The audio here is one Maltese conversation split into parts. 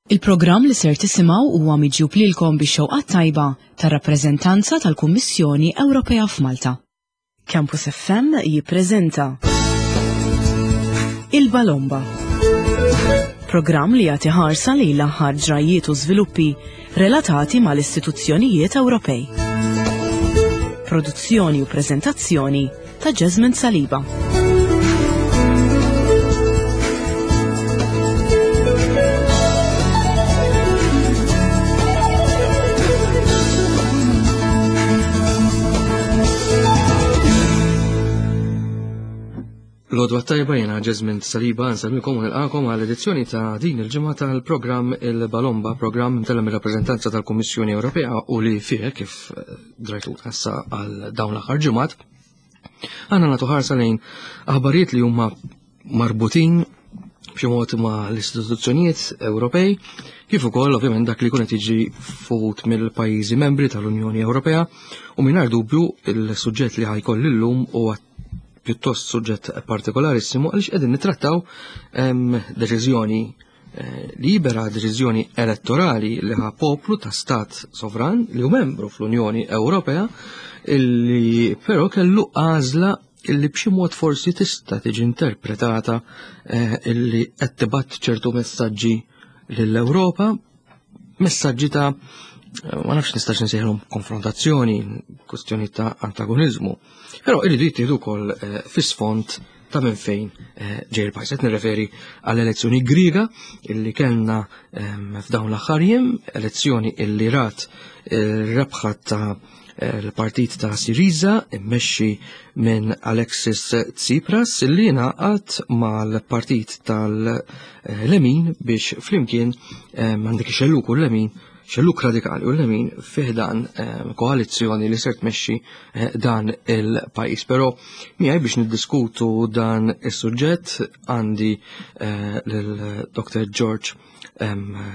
Il-programm li ser tisimgħu huwa miġjub lilkom bix-xewqat tajba tar-rappreżentanza tal-Kummissjoni Ewropea f'Malta. Campus FM jippreżenta Il-Balomba. Programm li jagħti ħarsa lejn l-aħħar ġrajjiet u żviluppi relatati mal-istituzzjonijiet Ewropej. Produzzjoni u preżentazzjoni ta' Jasmine Saliba. Lodwa tajba jena Jasmine Saliba nsalmikom u nilqakom għal edizzjoni ta' din il-ġimgħa tal-programm Il-Balomba, programm mtella mir-rappreżentanza tal-Kummissjoni Ewropea u li fih kif drajtu issa għal dawn l-aħħar ġimgħat. Għandna nagħtu ħarsa lejn aħbarijiet li huma marbutin b'xi mod ma' l-istituzzjonijiet Ewropej, kif ukoll ovvjament dak li jkun qed jiġi fuq mill-pajjiżi membri tal-Unjoni Ewropea u mingħajr dubju il-suġġett li ħajkoll illum huwa pjuttost suġġett partikolarissimu għaliex qegħdin nittrattaw deċiżjoni eh, libera, deċiżjoni elettorali li ħa poplu ta' stat sovran li hu membru fl-Unjoni Ewropea illi però kellu għażla illi b'xi mod forsi tista' tiġi interpretata eh, illi qed tibgħat ċertu messaġġi lill-Ewropa, messaġġi ta' eh, ma nafx nistax nsejħilhom konfrontazzjoni, kwestjoni ta' antagonizmu, però irridu jittieħdu wkoll eh, fis-sfond ta' minn fejn eh, ġej il-pajjiż. Qed nirreferi għall-elezzjoni Griega illi kellna ehm, f'dawn l-aħħar jiem, elezzjoni illi rat il-rebħa ta' l-partit ta' Syriza immexxi minn Alexis Tsipras li ngħaqad mal-partit tal-Lemin biex flimkien eh, għandek ix-xelluk u l-Lemin xelluk radikali u l-lemin fiħdan eh, koalizzjoni li ser tmexxi eh, dan il-pajjiż. Però miegħi biex niddiskutu dan is-suġġett għandi lil Dr. George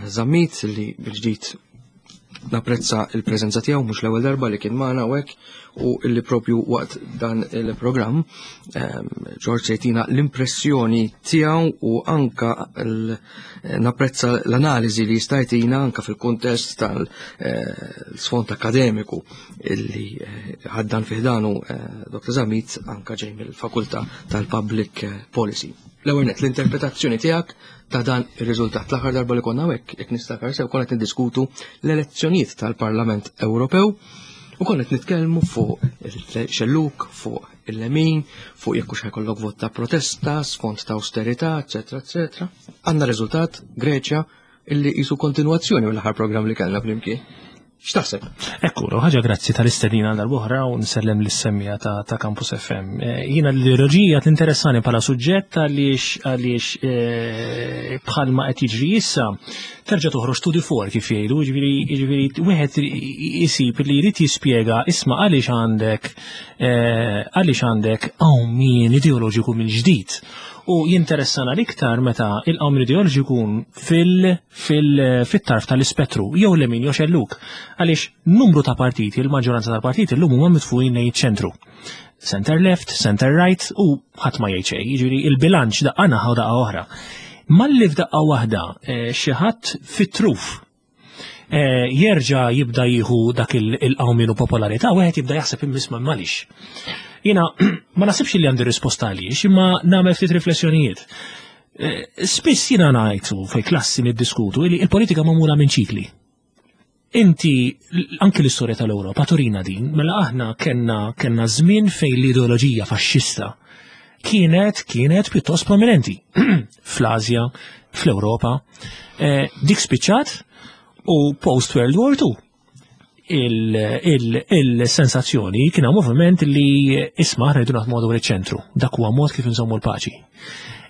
Zammit li bil-ġdid napprezza il-preżenza tiegħu mhux l-ewwel darba li kien magħna hawnhekk u illi propju waqt dan il-programm ehm, George se jtina l-impressjoni tiegħu u anka napprezza l-analiżi li jista' jtina anka fil-kuntest tal-sfond eh, akademiku illi eh, ħaddan fih danu eh, Dr. Zamit anka ġej mill-Fakultà tal-Public Policy. L-ewwel nett l-interpretazzjoni tiegħek ta' dan ir-riżultat. L-aħħar darba li konna hekk, jekk niftakar sew konna qed niddiskutu l-elezzjonijiet tal-Parlament Ewropew u konna qed nitkellmu fuq il-xelluk, fuq il-lemin, fuq jekk hux ħajkollok vot ta' protesta, sfond ta' austerità, eċetera, eċetera. Għandna riżultat Greċja illi jisu kontinwazzjoni mill-aħħar programm li kellna flimkien. X'taħseb? Ekku, ħaġa grazzi tal-istedina għal darb'oħra u nsellem lis-semmija ta', ta Campus FM. Eh, jiena l-ideoloġija tinteressani bħala suġġett għaliex għaliex eh, bħalma qed jiġri issa terġa' toħroġ to the fore kif jgħidu, jiġifieri jiġifieri wieħed isib li jrid jispjega isma' għaliex għandek eh, għaliex għandek qawmien ideoloġiku mill-ġdid. U jinteressana l-iktar meta il-qawmien ideoloġiku jkun fil- fit-tarf tal-ispettru, jew lemin jew xelluk. Għaliex numru ta' partiti, il-maġġoranza tal-partiti llum huma mitfugħin lejn iċ-ċentru. Center left, center right u ħadd ma jgħid xejn, jiġifieri il-bilanċ daqqa naħa u daqqa oħra. Malli f'daqqa waħda eh, xi ħadd fit-truf eh, jerġa' jibda jieħu dak il-qawmien u popolarità, wieħed jibda jaħseb immisma malix. Jiena ma nasibx li għandi risposta għaliex, imma nagħmel ftit riflessjonijiet. Eh, spiss jiena ngħid u fej klassi niddiskutu li il-politika magħmula minn ċikli. Inti anki l-istorja tal-Ewropa turina din, mela aħna kellna kellna żmien fejn l-ideoloġija faxxista kienet kienet pjuttost prominenti fl-Asja, fl-Ewropa. Eh, dik spiċċat u post World War II il-sensazzjoni kien hawn moviment li isma' rridu naħdmu madwar iċ-ċentru. Dak huwa mod kif inżommu l-paċi.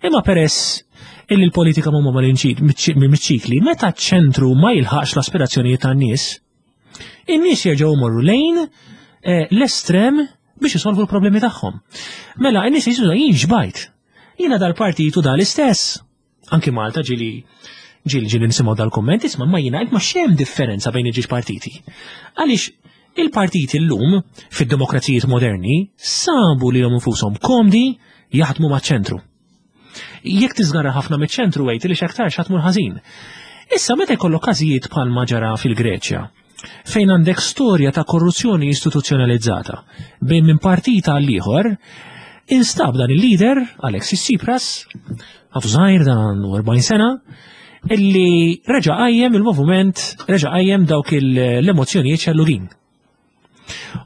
Imma peress illi l-politika mhuma miċ-ċikli, meta ċ-ċentru ma jilħaqx l-aspirazzjonijiet tan-nies, in-nies jerġgħu jmorru lejn eh, l-estrem biex isolvu l-problemi tagħhom. Mela, in-nies jisuża jien xbajt. Jiena dal-partitu dal-istess. Anki Malta ġili ġili ġili nisimgħu dal-kumment isma' ma jiena ma xem differenza bejn iġiex partiti. Għaliex il-partiti llum fid-demokrazijiet moderni sabu li infushom komdi jaħdmu maċ-ċentru. Jekk tiżgarra ħafna miċ-ċentru għejt li x'aktar x'għatmur ħażin. Issa meta jkollok każijiet bħalma ġara fil-Greċja, fejn għandek storja ta' korruzzjoni istituzzjonalizzata bejn minn partit għal ieħor, instab dan il-leader, Alexis Tsipras, għadu żgħir dan għandu 40 sena, illi reġa' qajjem il-moviment, reġa' qajjem dawk l-emozzjonijiet xellugin.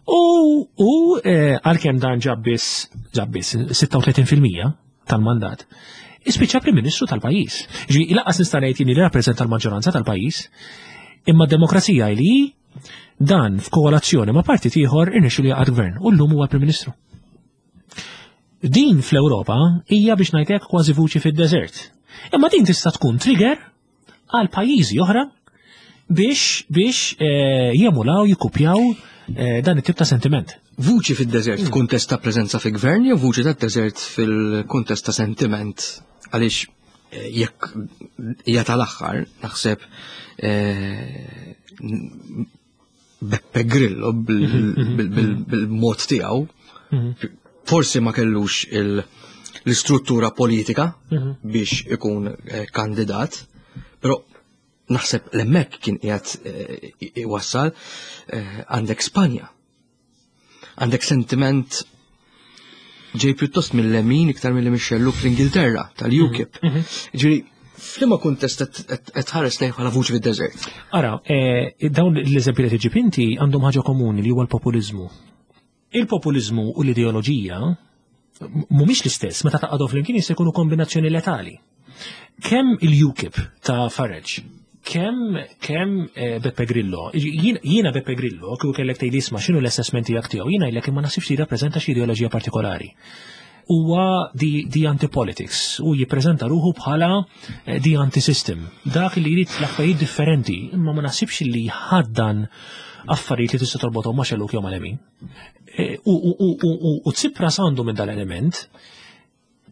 U, u eh, għalkemm dan ġab biss ġab biss 36% tal-mandat, ispiċċa Prim Ministru tal-pajjiż. Ġi lanqas nista' ngħid jien li rappreżenta l-maġġoranza tal-pajjiż, imma d-demokrazija li dan f'koalazzjoni ma' partit ieħor irnexxielu jaqgħad gvern u llum huwa Prim Ministru. Din fl-Ewropa hija biex ngħidlek kważi vuċi fid-deżert. Imma din tista' tkun trigger għal pajjiżi oħra biex biex eh, jemulaw, jikkupjaw eh, dan it-tip ta' sentiment. Vuċi fid-deżert hmm. f'kuntest ta' preżenza fi gvern jew vuċi tad-deżert fil-kuntest ta' sentiment għaliex eh, jekk hija tal-aħħar naħseb Beppe Grillo bil-mod tiegħu mhm. forsi ma kellux l-istruttura politika mhm. biex ikun eh, kandidat, però naħseb l-emmek kien qiegħed eh, iwassal eh, għandek Spanja. Għandek sentiment ġej pjuttost mill-lemin iktar mill-li mix-xellug fl-Ingilterra tal-UKIP. Mhm, mhm. Ġifieri, f'liema kuntest qed tħares lejn bħala vuċi fid-deżert? Ara, eh, dawn l-eżempji li tiġib inti għandhom ħaġa komuni li huwa l-populiżmu. Il-populiżmu u l-ideoloġija mhumiex l-istess, meta taqgħodhom flimkien jista' jkunu kombinazzjoni letali. Kemm il-UKIP ta' Farage, kemm kemm eh, Beppe Grillo, jiena Beppe Grillo, kieku kellek tgħid isma' x'inhu l-assessment tiegħek tiegħu, jiena jlek imma naħsibx li jirrappreżenta xi ideoloġija partikolari. Huwa di anti-politics u jippreżenta ruħu bħala eh, di anti-system. Dak li jrid l-affarijiet differenti, imma ma naħsibx li jħaddan affarijiet li tista' torbothom ma' xellug jew mal-lemin. Eh, u Tsipras għandu minn dal-element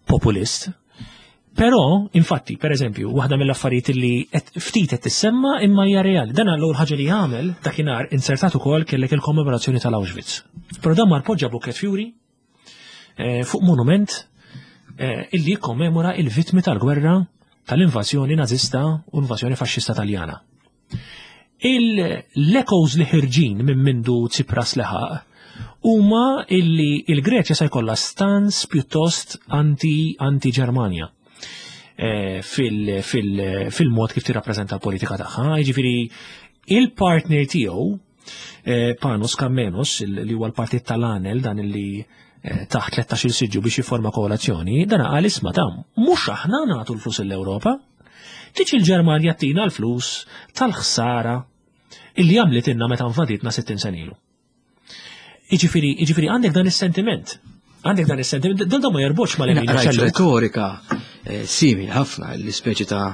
populist. Però, infatti, per eżempju, waħda mill-affarijiet li ftit qed tissemma imma hija reali. Dan l-ewwel ħaġa li jagħmel dakinhar insertat ukoll kellek il-kommemorazzjoni tal-Auschwitz. Però dan mar poġġa bukket fjuri eh, fuq monument eh, illi jikkommemora il-vittmi tal-gwerra tal-invażjoni nażista u invażjoni faxxista Taljana. L-echoes li ħirġin minn mindu Tsipras leħaq huma illi il-Greċja se jkollha stans pjuttost anti-Ġermanja eh, fil-mod kif tirrappreżenta l-politika tagħha. Jiġifieri il-partner tiegħu eh, Panos Kammenos, li huwa l-partit tal-Anel dan illi eh, taħt 13 siġġu biex jifforma koalazzjoni, dan qal isma' ta' mhux aħna nagħtu l-flus l-Ewropa, Tiġi l-Ġermanja tina l-flus tal-ħsara illi għamlitilna meta invaditna 60 sena ilu. Iġifieri, iġifieri għandek dan is-sentiment. Għandek dan is-sentiment, dan ma jorbotx ma l Retorika eh, simili ħafna l-ispeċi ta'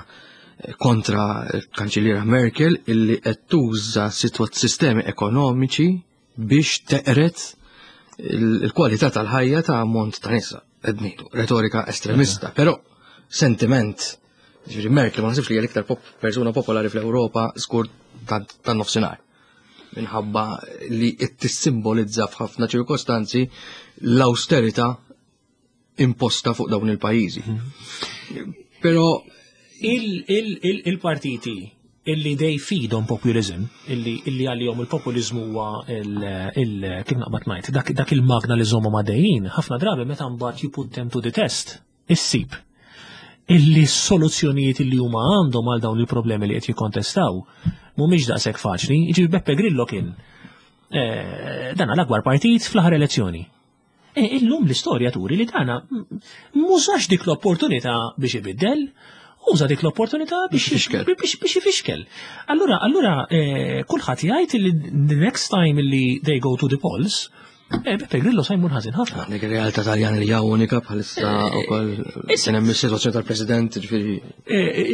kontra l-Kanċilliera Merkel illi qed tuża sistemi ekonomiċi biex teqret il-kwalità tal-ħajja ta' ammont ta' nisa. Qed ngħidu, retorika estremista, però sentiment ġifieri Merkel ma nasibx li hija l-iktar persuna popolari fl-Ewropa żgur tan-nofsinhar. Minħabba li qed tissimbolizza f'ħafna ċirkostanzi l-austerità imposta fuq dawn il-pajjiżi. Mhm. Però il-partiti illi they feed on populism, illi illi għalihom il-populizmu huwa il kif naqbad ngħid, dak, dak il-magna li żommu madejjin, ħafna drabi meta mbagħad you put them to the test, issib illi s-soluzzjonijiet illi huma għandhom għal dawn il-problemi li qed jikkontestaw mhumiex daqshekk faċli. Jiġifieri Beppe Grillo kien eh, dan l-akbar partit fl-aħħar elezzjoni. E, illum l-istorja turi li dana mużax dik l-opportunità biex ibiddel, uża dik l-opportunità biex biex ifixkel. Allura, allura e, kulħadd jgħid li the next time li they go to the polls, e, Beppe Grillo sa jmur ħażin ħafna. Dik ir-realtà Taljan li hija unika bħalissa eh, ukoll kien hemm is-sitwazzjoni tal-President, ġifieri.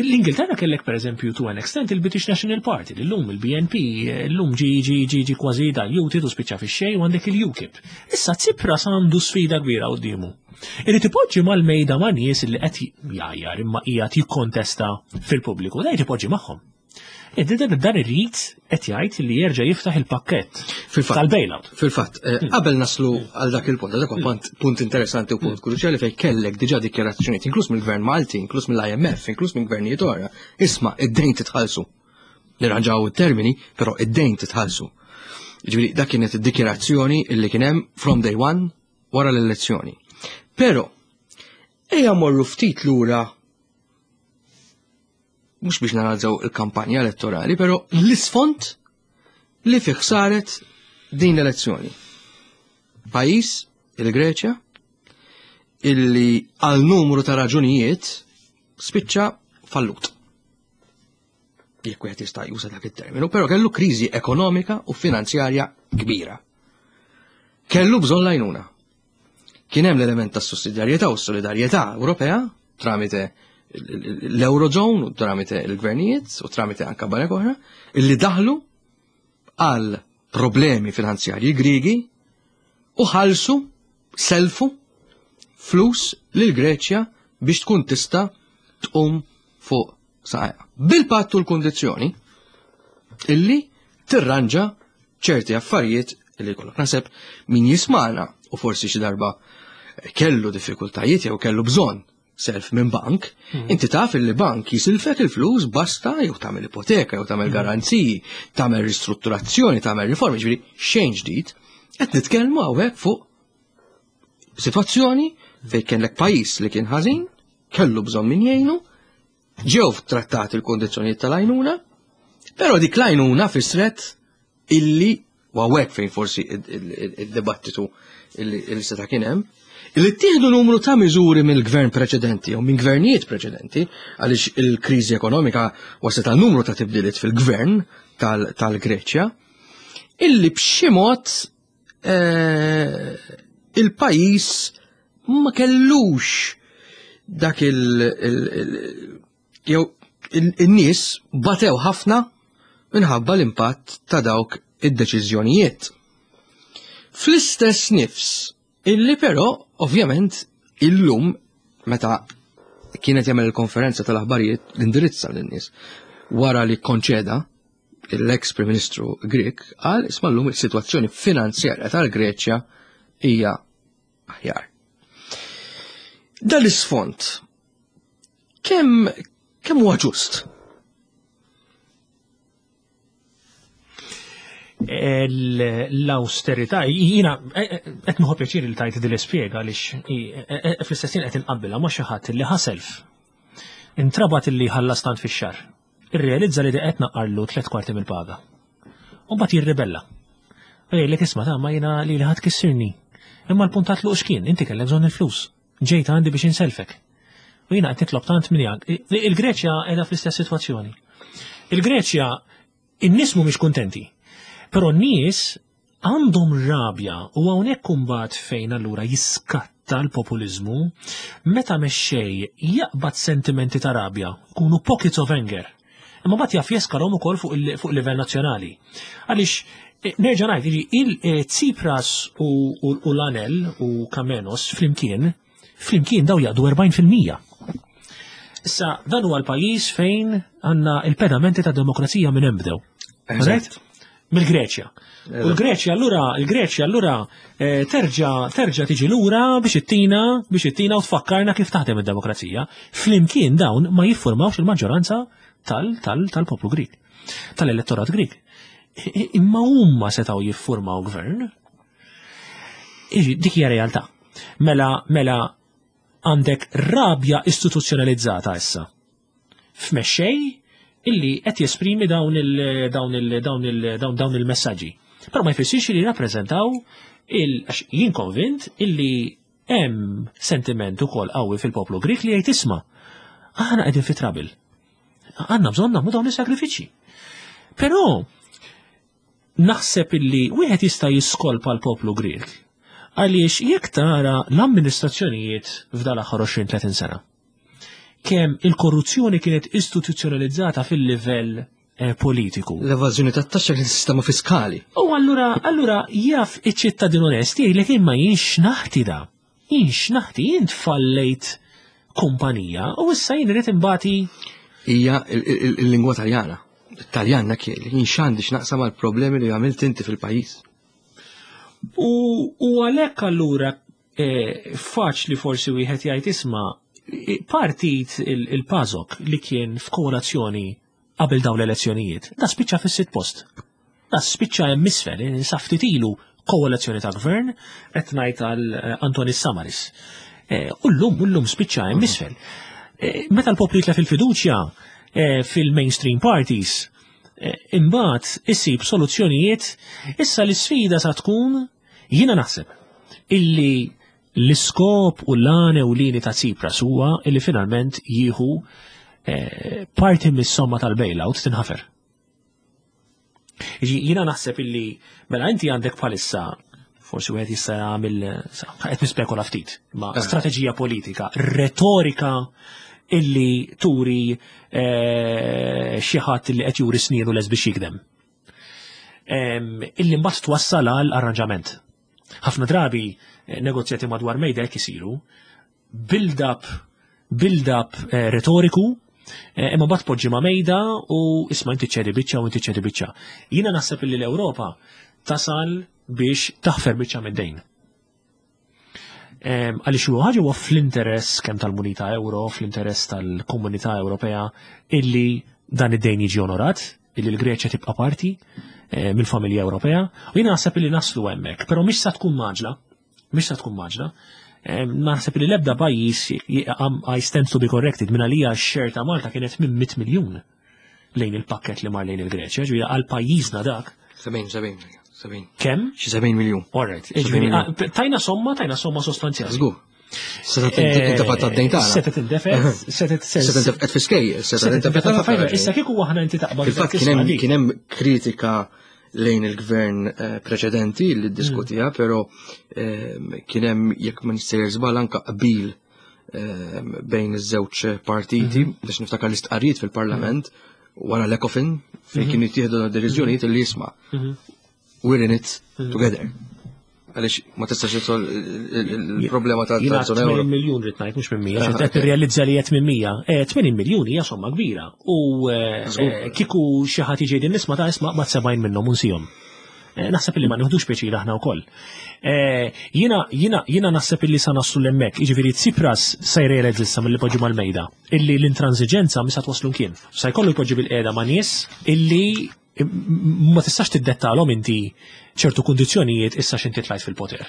L-Ingilterra kellek pereżempju to an extent il-British National Party, l-lum il-BNP, l-lum ġi ġi ġi ġi kważi diluted u spiċċa fix-xejn u għandek il-UKIP. Issa Tsipras għandu sfida kbira quddiemu. Irid ipoġġi mal-mejda ma' nies li qed jgħajjar imma qiegħed jikkontesta fil-pubbliku, da jrid ipoġġi magħhom. Dan irrid qed jgħid li jerġa' jiftaħ il-pakkett tal-bailout. Fil-fatt, eh, hmm. qabel naslu għal dak il-punt, dak huwa hmm. punt interessanti u punt hmm. kruċjali fejn kellek diġà dikjarazzjonijiet, inkluż mill-Gvern Malti, inkluż mill-IMF, inkluż minn gvernijiet oħra. Isma' id-dejn titħallsu. Nirranġaw it-termini, però id-dejn titħallsu. Ġifieri dak kienet id-dikjarazzjoni illi kien hemm from day one wara l-elezzjoni. Però ejja morru ftit lura mhux biex nanalizzaw il-kampanja elettorali, però l-isfond li fih saret din l-elezzjoni. Pajjiż, il-Greċja, illi għal numru ta' raġunijiet spiċċa fallut. Jekk wieħed jista' juża dak it-terminu, però kellu kriżi ekonomika u finanzjarja kbira. Kellu bżonn lajnuna. Kien hemm l-element tas sussidjarjetà u s-solidarjetà Ewropea tramite l-Eurozone u tramite l-gvernijiet u tramite anka banek oħra illi daħlu għal problemi finanzjarji Grigi u ħalsu selfu flus lil Greċja biex tkun tista' tqum fuq saqajha. Bil-patt u l-kundizzjoni illi tirranġa ċerti affarijiet illi jkollok. Naħseb min jismana u forsi xi darba kellu diffikultajiet jew kellu bżonn self minn bank, hmm. inti taf illi bank jisilfek il-flus basta jew tagħmel ipoteka jew tagħmel hmm. garanziji, tagħmel ristrutturazzjoni, tagħmel riformi, ġifieri xejn ġdid, qed nitkellmu hawnhekk fuq Situazzjoni fejn kellek pajjiż li kien ħażin, kellu bżonn min jgħinu, ġew trattati l-kondizzjonijiet tal-għajnuna, però dik l-għajnuna fisret illi u hawnhekk fejn forsi id-dibattitu illi seta' kien hemm, illi ttieħdu numru ta' miżuri mill-gvern preċedenti jew minn gvernijiet preċedenti għaliex il-kriżi ekonomika waslet għal numru ta' tibdiliet fil-gvern tal-Greċja, illi b'xi mod eh, il-pajis ma kellux dak il- jew in-nies batew ħafna minħabba l-impatt ta' dawk id-deċiżjonijiet. Fl-istess nifs, illi però ovvjament illum meta kienet jagħmel il-konferenza tal-aħbarijiet l-indirizza lin-nies wara li konċeda l-ex Prim Ministru Grek qal isma' llum is-sitwazzjoni finanzjarja tal-Greċja hija aħjar. Dan l-isfond kemm kemm huwa ġust? L-austerità, jina, qed nieħu pjaċir li tajt din l-ispjega għaliex fl-istess ħin qed inqabbilha ma' xi ħadd li ħaself. Intrabat illi ħallas tant fix-xahar. Irrealizza li qed naqqarlu tlet kwarti mill-paga. U mbagħad jirribella. U jgħidlek isma' ta' ma jiena li ħadd kissirni. Imma l-punt ta' tluq x'kien, inti kellek bżonn il-flus. Ġejt għandi biex inselfek. U jiena qed nitlob tant minn jak. Il-Greċja qiegħda fl-istess sitwazzjoni. Il-Greċja in-nies mhumiex kuntenti. Però n-nies għandhom rabja u hawnhekk imbagħad fejn allura jiskatta l-populiżmu meta mexxej jaqbad sentimenti ta' rabja, jkunu pockets of anger. Imma mbagħad jaf jeskalhom ukoll fuq livell nazzjonali. Għaliex eh, nerġa' ngħid il-Tsipras eh, u l-Anel u Kamenos flimkien flimkien daw jaqdu 40%. Issa dan huwa l-pajjiż fejn għandna il-pedamenti ta' demokrazija minn hemm bdew. Right? Mill-Greċja. U l-Greċja allura, il-Greċja allura eh, terġa' terġa' tiġi lura biex ittina biex ittina u tfakkarna kif taħdem id-demokrazija. Flimkien dawn ma jiffurmawx il-maġġoranza tal-poplu Grik, tal-elettorat Grik. Imma huma setgħu jiffurmaw gvern. Dik hija realtà. Mela, mela għandek rabja istituzzjonalizzata issa. F'mexxej illi qed jesprimi dawn il dawn il dawn il dawn dawn il-messaġġi. Però ma jfissirx li jirrappreżentaw il għax jien konvint illi hemm sentiment ukoll qawwi fil-poplu Grik li jgħid isma' aħna qegħdin fi trabil. Għandna bżonn nagħmlu dawn is-sagrifiċċji. Però Naħseb illi wieħed jista' jiskolpa l-poplu Grieg għaliex jekk tara l-amministrazzjonijiet f'dal aħħar 20-30 sena. Kemm il-korruzzjoni kienet istituzzjonalizzata fil-livell eh, politiku. L-evażjoni tat-taxxa kien sistema fiskali. U allura allura jaf iċ-ċittadin onest jgħidlek imma jien x'naħti da. Jien x'naħti jien tfallejt kumpanija u issa jien irid imbati. Hija il-lingwa Taljana. Taljan dak jien x'għandi x'naqsam għal problemi li għamilt inti fil-pajjiż. U għalhekk allura faċli forsi wieħed jgħid isma' partit il-PASOK li kien f'koalazzjoni qabel dawn l-elezzjonijiet, da spiċċa fis-sitt post. Da spiċċa hemm isfel, sa ftit ilu koalazzjoni ta' gvern, qed ngħid għal Antonis Samaris. U llum spiċċa hemm isfel. Meta l-poplu jitlef il-fiduċja fil-mainstream parties, imbagħad isib soluzzjonijiet, issa l-isfida sa tkun, jiena naħseb illi l-iskop u l-għan ewlieni ta' Tsipras huwa illi finalment jieħu parti mis-somma tal-bailout tinħafer. Jiena naħseb illi mela inti għandek bħalissa forsi wieħed jista' jagħmel qed nispekola ftit, ma strateġija politika, retorika illi turi xi ħadd illi qed juri snienu les biex jikdem. Illi mbagħad twassal għal arranġament. Ħafna drabi negozjati madwar mejda hekk isiru, build-up retoriku, imma mbagħad poġġi ma' mejda u isma' inti ċedi biċċa u inti ċedi biċċa. Jiena naħseb illi l-Ewropa tasal biex taħfer biċċa mid-dejn. Għaliex huwa ħaġa huwa fl-interess kemm tal-munita euro, fl-interess tal-Komunità Ewropea illi dan id-dejn jiġi onorat, illi l-Greċja tibqa' parti mill-familja Ewropea, u jiena naħseb illi naslu hemmhekk, però mhix sa tkun maġla, mhix sa tkun maġla. Naħseb li l-ebda pajjiż, I stand to be corrected, minn għalija x-share ta' Malta kienet minn 100 miljun lejn il-pakket li mar lejn il-Greċja, ġifieri għal pajjiżna dak. 70, 70, 70. Kemm? Xi 70 miljun. All right. 70 Ġifieri, miljun. tajna somma, tajna somma sostanzjali. Żgur. Seta' tintefgħet tad-dejn tagħna. Seta' tindefet, seta' Seta' tintefgħet fi skejjel, seta' Seta' tintefgħet tintefgħet ħafna. Issa kieku aħna inti taqbad Fil-fatt dak isma' dik. kien hemm kritika lejn il-gvern preċedenti li ddiskutija, però kien hemm, jekk ma nistejjer żball, anke qbil bejn iż-żewġ partiti, biex niftakar l-istqarrijiet fil-Parlament wara l-Ecofin fejn kienu jittieħdu deċiżjonijiet li jisma' we're in it together. Għaliex ma tistax tisol il-problema Jiena ta' zona euro. 80 miljun rrid ngħid, mhux minn 100, xi qed tirrealizza li qed minn 100. 80 miljun hija somma kbira. U kieku xi ħadd jiġi din nisma' ta' isma' ma' 70 minnhom unsihom. Naħseb li ma nieħdux pjaċir aħna wkoll. Jiena naħseb illi sa naslu l-hemmhekk, jiġifieri Tsipras se jrealizza issa mill-li poġġi mal-mejda, illi l-intransiġenza misa twaslu kien. Sa jkollu jpoġġi bil-qiegħda ma' nies illi ma tistax tiddettalhom inti ċertu kundizzjonijiet issa x'inti tlajt fil-poter.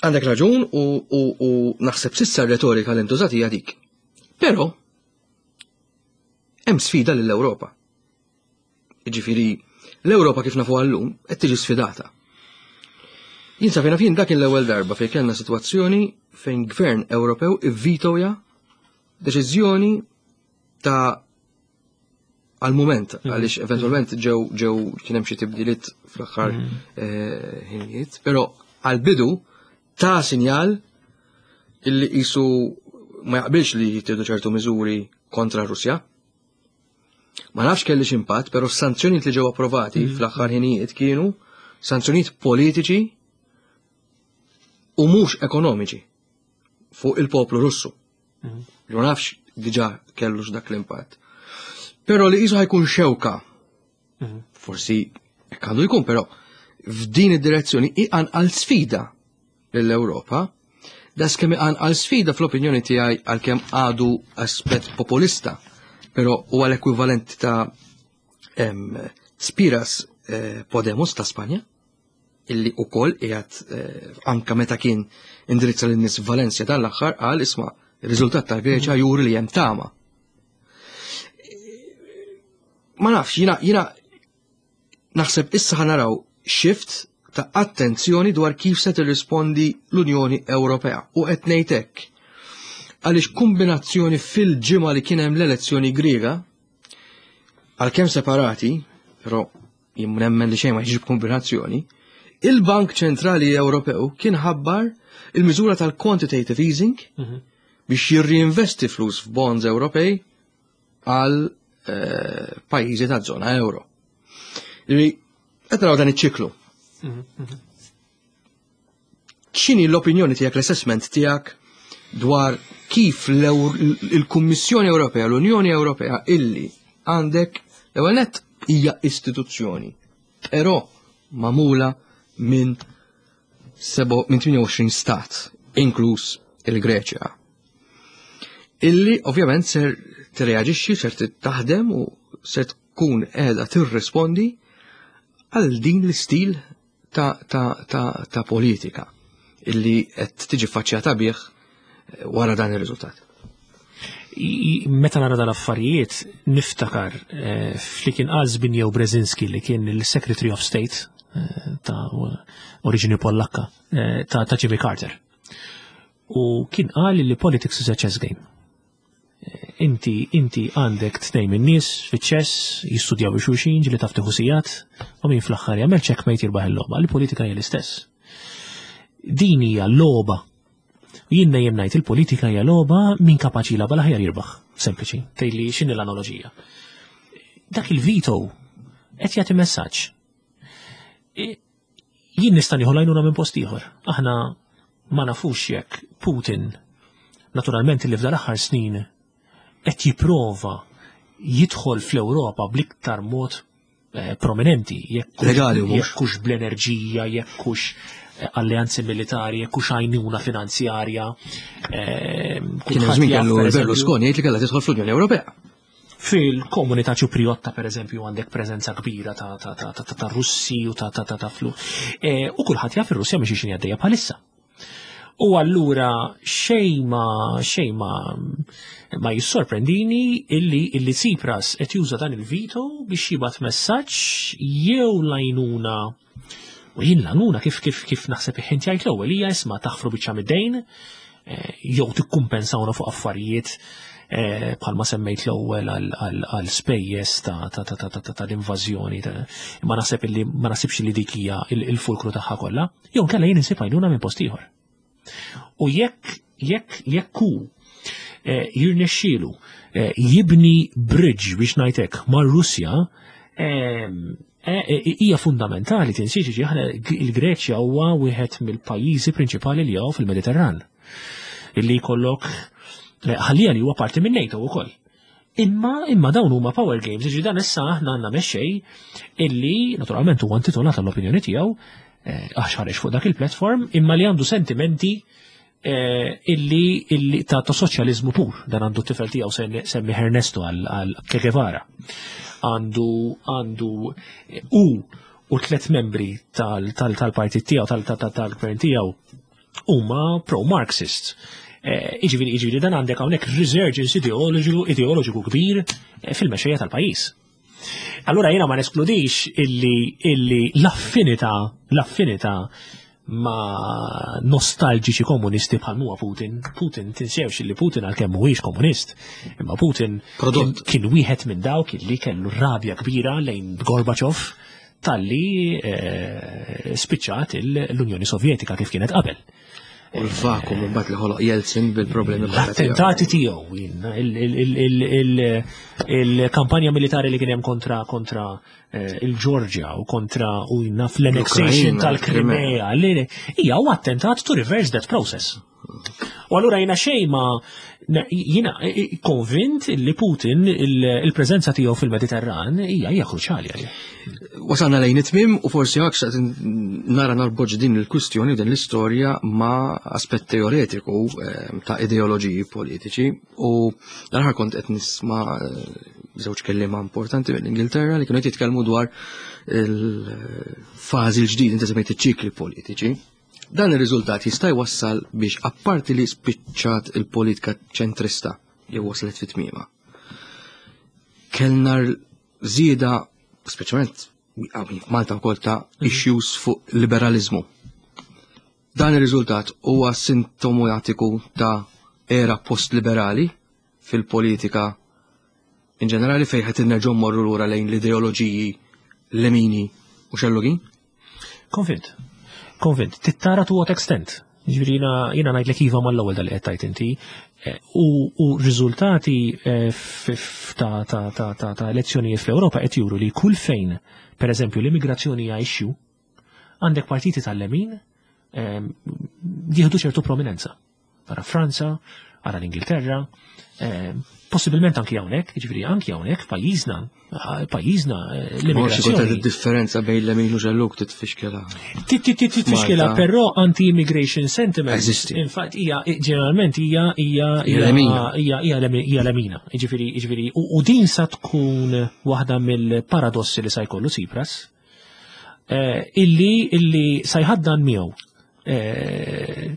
Għandek raġun u naħseb sissa r-retorika li ntużat hija dik. Però hemm sfida lill-Ewropa. Jiġifieri l-Ewropa kif nafu għallum qed tiġi sfidata. Jien sa fejn jien dak l-ewwel darba fejn kellna sitwazzjoni fejn gvern Ewropew ivvitoja deċiżjoni ta' għal-moment, għaliex eventualment ġew kien hemm xi tibdiliet fl-aħħar, ħinijiet, però għal-bidu ta' sinjal illi qisu ma jaqbilx li jittieħdu ċertu miżuri kontra Russja. Ma nafx kellix impatt, però s-sanzjonijiet li ġew approvati fl-aħħar ħinijiet kienu sanzjonijiet politiċi u mhux ekonomiċi fuq il-poplu Russu. Ma nafx diġà kellux dak l-impatt. Però li qisu ħajkun xewka. Forsi hekk għandu jkun, però f'din id-direzzjoni iqanqal sfida lill-Ewropa. Da skemm iqanqal sfida fl-opinjoni tiegħi għalkemm għadu aspett populista, però huwa l-ekwivalent ta' Spiras Podemos ta' Spanja, illi ukoll qiegħed anka meta kien indirizza lin-nies f'Valencia dan l-aħħar qal isma' ir-riżultat tal-Greċja juri li hemm tama. Ma nafx, jiena naħseb issa ħanaraw shift ta' attenzjoni dwar kif se tirrispondi l-Unjoni Ewropea. U qed ngħid hekk għaliex kombinazzjoni fil-ġimgħa li kien hemm l-elezzjoni Griega, għalkemm separati, però jien nemmen li xejn ma jiġi b'kombinazzjoni, il-Bank Ċentrali Ewropew kien ħabbar il-miżura tal-quantitative easing biex jirriinvesti flus f'bonds Ewropej għal pajjiżi ta' zona euro. Ġifieri, qed naraw dan iċ-ċiklu. X'inhi l-opinjoni tiegħek, l-assessment tiegħek dwar kif il-Kummissjoni Ewropea, l-Unjoni Ewropea illi għandek l-ewwel nett hija istituzzjoni, però magħmula minn 28 stat, inkluż il-Greċja. Illi ovvjament ser tirreaġixxi, ser taħdem u ser tkun qiegħda tirrispondi għal din l-istil ta', ta, ta, ta politika illi qed tiġi faċċjata bih eh, wara dan ir-riżultat. Meta nara dal-affarijiet niftakar eh, fli kien qal Zbigniew Brzezinski li kien il-Secretary of State eh, ta' oriġini Pollakka ta', ta Jimmy Carter. U kien qal li politics is a chess game. Inti inti għandek tnejn min-nies fiċ-ċess jistudjaw xulxin ġieli taf tieħu sigħat u min fl-aħħar jagħmel checkmate jirbaħ il-logħba. Il-politika hija l-istess. Din hija logħba. Jien dejjem ngħid il-politika hija logħba min kapaċi jilgħabha l-aħjar jirbaħ. Sempliċi, tgħidli x'inhi l-analoġija. Dak il-veto qed jagħti messaġġ. Jien nista' nieħu l-għajnuna minn post ieħor. Aħna ma nafux jekk Putin naturalment li f'dal aħħar snin qed jipprova jidħol fl-Ewropa bl-iktar mod eh, prominenti, jekk Legali u mhux. jekk hux bl-enerġija, jekk hux eh, alleanzi militari, jekk hux għajnuna finanzjarja. Eh, Kien hemm żmien kellu Berlusconi jgħid li kellha tidħol fl-Unjoni Ewropea. Fil-komunità Ċipriotta, per eżempju, għandek preżenza kbira ta', ta, ta, ta, ta, ta Russi u ta' ta' ta' ta' flu. E, u kulħadd jaf ir-Russja mhix xi għaddejja bħalissa. U allura xejn ma xejn ma ma jissorprendini illi illi Tsipras qed juża dan il-veto biex jibgħat messaġġ jew l-għajnuna u jien l-għajnuna kif kif kif naħseb int jgħid l-ewwel hija isma' taħfru biċċa mid-dejn eh, jew tikkumpensawna fuq affarijiet eh, bħalma semmejt l-ewwel għal spejjeż tal-invażjoni. Ma naħseb illi ma naħsibx li dik hija il-fulkru tagħha kollha, jew nkella jien insib għajnuna minn post ieħor. U jekk jekk jekk hu eh, jirnexxielu jibni bridge biex ngħidlek mar-Russja, hija fundamentali tinsiex ġi aħna il-Greċja huwa wieħed mill-pajjiżi prinċipali li hawn fil-Mediterran. Illi jkollok ħallija li huwa parti minn NATO wkoll. Imma imma dawn huma power games, ġi dan issa aħna għandna mexxej illi naturalment huwa intitolat għall-opinjoni tiegħu għax ħareġ fuq dak il-platform, imma li għandu sentimenti illi illi ta' ta' soċjaliżmu pur. Dan għandu t-tifel tiegħu semmi Ernesto għal Che Guevara. Għandu għandu u u tlet membri tal-partit tiegħu tal-gvern tiegħu huma pro-Marxist. Iġifieri iġifieri dan għandek hawnhekk resurgence ideoloġiku ideoloġiku kbir fil-mexxejja tal-pajjiż. Allura jiena ma neskludix illi illi l-affinità l-affinità ma' nostalġiċi komunisti bħal huwa Putin. Putin tinsewx illi Putin għalkemm mhuwiex komunist, imma Putin Prodott. kien wieħed minn dawk illi kellu rabja kbira lejn Gorbachev talli eh, spiċċat l-Unjoni Sovjetika kif kienet qabel. U l-vakum mbagħad li ħoloq Jeltsin bil-problemi kollha tiegħu. L-attentati tiegħu jien, il-kampanja militari li kien hemm kontra kontra eh, il-Ġorġja u kontra u jiena fl-annexation L-Ukrajna, tal-Krimea li hija u attentat to reverse that process. U allura jiena xejn ma jiena konvint li Putin il-preżenza tiegħu fil-Mediterran hija hija kruċjali għalih. Wasalna lejn it-tmim u forsi għak xtaqt nara narboġ din il-kwistjoni din l-istorja ma' aspett teoretiku ta' ideoloġiji politiċi u l-aħħar kont qed nisma' żewġ kelliema importanti mill-Ingilterra li kienu qed jitkellmu dwar il-fażi l-ġdid, inti semmejt iċ-ċikli politiċi. Dan ir-riżultat jista' jwassal biex apparti li spiċċat il-politika ċentrista jew waslet fit tmiema. Kellna żieda speċjalment Malta wkoll ta' issues fuq liberalizmu. Dan ir-riżultat huwa sintomatiku ta' era post-liberali fil-politika in ġenerali fejn qed nerġgħu mmorru lura lejn l-ideoloġiji lemini u xellugin? Konvint. Konvint. Tittara to what extent. Ġifieri jiena jiena ngħidlek iva mal-ewwel dal qed tajt inti. U riżultati ta' ta' ta' ta' ta' elezzjonijiet fl-Ewropa qed juru li kull fejn, per eżempju, l-immigrazzjoni hija issue, għandek partiti tal-lemin jieħdu ċertu prominenza. Ara Franza, ara l-Ingilterra, eh, possibilment anki hawnhekk, jiġifieri anki hawnhekk pajjiżna, eh, pajjiżna eh, l-immigrazzjoni. differenza bejn l-emin u ġelluk titfixkela. Titfixkela, però anti-immigration sentiment. Eżisti. Infatti hija ġeneralment hija hija hija hija lemina. Jiġifieri jiġifieri u din sa tkun waħda mill-paradossi li sa jkollu Tsipras eh, illi illi sa jħaddan miegħu eh,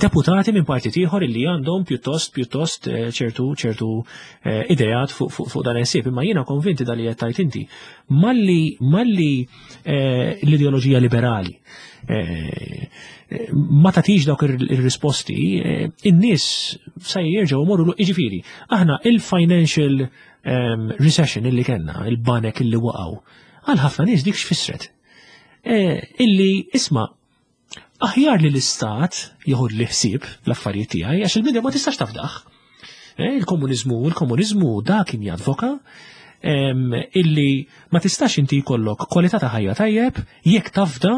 deputati minn partit ieħor illi għandhom pjuttost pjuttost eh, ċertu ċertu ideat fuq fu, fu dan il-ħsieb. Imma jiena konvinti dal li qed tajt inti. Malli malli l-ideoloġija liberali ma tagħtix dawk ir-risposti, in-nies sa jerġgħu jmorru jiġifieri. Aħna il-financial ehm, recession illi kellna, il-banek illi waqgħu, Għal ħafna nies dik x'fissret. E, illi isma' aħjar li l-istat jieħu li ħsieb l-affarijiet tiegħi għax il-bniedem ma tistax tafdaħ. E, il-komuniżmu, il-komuniżmu dak kien jadvoka illi ma tistax inti jkollok kwalità ta' ħajja tajjeb jekk tafda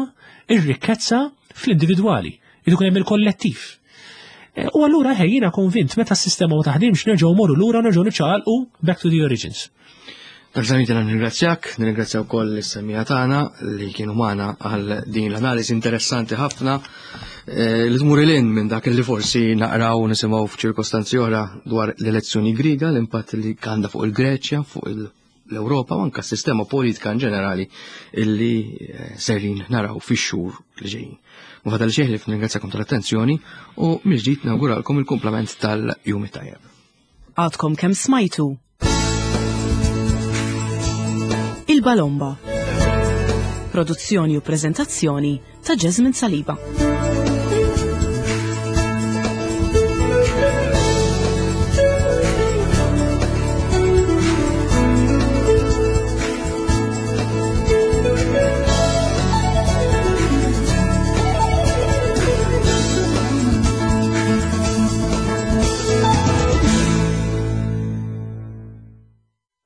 ir-rikkezza fl-individwali. Irid ikun hemm il-kollettiv. E, u allura ħejjina konvint meta s-sistema ma taħdimx nerġgħu morru lura nerġgħu niċċaqalqu back to the origins. Dr. nirringrazzjak, nirringrazzja wkoll is-semmiegħa tagħna li kienu magħna għal din l-analiżi interessanti ħafna eh, li tmur il minn dak li forsi naqraw u nisimgħu f'ċirkostanzi oħra dwar l-elezzjoni Griega, l-impatt li għandha fuq il-Greċja, fuq l-Ewropa u anke s-sistema politika in ġenerali illi eh, serin naraw fix-xhur li ġejjin. Ma fadal xejn li nirringrazzjakom tal-attenzjoni u mill-ġdid nawguralkom il-kumplament tal-jum it-tajjeb. Għadkom kemm smajtu Il-Balomba. Produzzjoni u prezentazzjoni ta' Jasmine Saliba.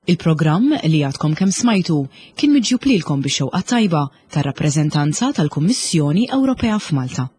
Il-programm li għadkom kemm smajtu kien miġjub lilkom bix-xewqa tajba tar-rappreżentanza tal-Kummissjoni Ewropea f'Malta.